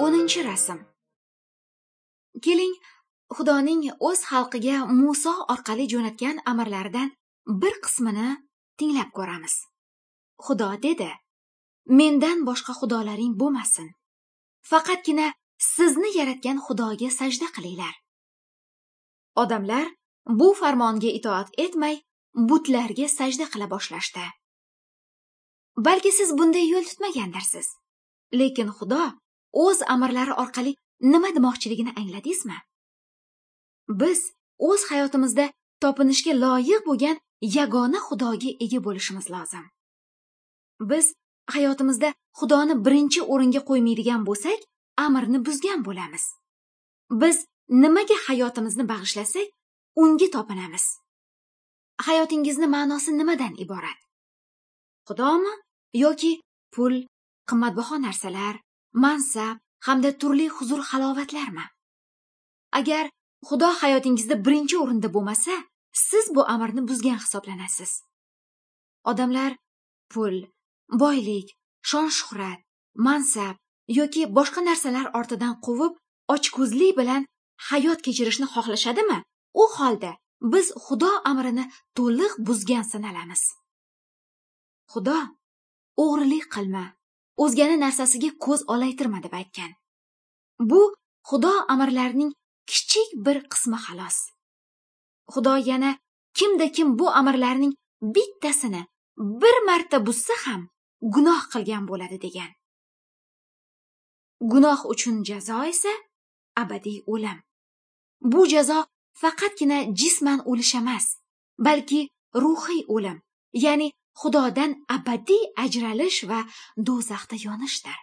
10-rasm. Keling, Xudoning o'z xalqiga Muso orqali jo'natgan amrlaridan bir qismini tinglab ko'ramiz. Xudo dedi: "Mendan boshqa xudolaring bo'lmasin. Faqatgina sizni yaratgan Xudoga sajda qilinglar." Odamlar bu farmonga itoat etmay, butlarga sajda qila boshlashdi. Balki siz bunday yo'l tutmagandirsiz. Lekin Xudo o'z amrlari orqali nima demoqchiligini angladingizmi? Biz o'z hayotimizda topinishga loyiq bo'lgan yagona Xudoga ega bo'lishimiz lozim. Biz hayotimizda Xudoni birinchi o'ringa qo'ymaydigan bo'lsak, amrni buzgan bo'lamiz. Biz nimaga hayotimizni bag'ishlasak, unga topinamiz. Hayotingizni ma'nosi nimadan iborat? Xudomi yoki pul, qimmatbaho narsalar, mansab hamda turli huzur-halovatlarmi? Agar Xudo hayotingizda birinchi o'rinda bo'lmasa, siz bu amrni buzgan hisoblanasiz. Odamlar pul, boylik, shon-shuhrat, mansab yoki boshqa narsalar ortidan quvib, ochko'zlik bilan hayot kechirishni xohlashadimi? U holda biz Xudo amrini to'liq buzgan sanalamiz. Xudo o'g'rilik qilma, o'zgani narsasiga ko'z olaytirma deb aytgan. Bu Xudo amrlarining kichik bir qismi xolos. Xudo yana kimda kim bu amrlarning bittasini bir marta buzsa ham gunoh qilgan bo'ladi degan. Gunoh uchun jazo esa abadiy o'lim. Bu jazo faqatgina jisman o'lish emas, balki ruhiy o'lim, ya'ni Xudodan abadiy ajralish va do'zaxda yonishdir.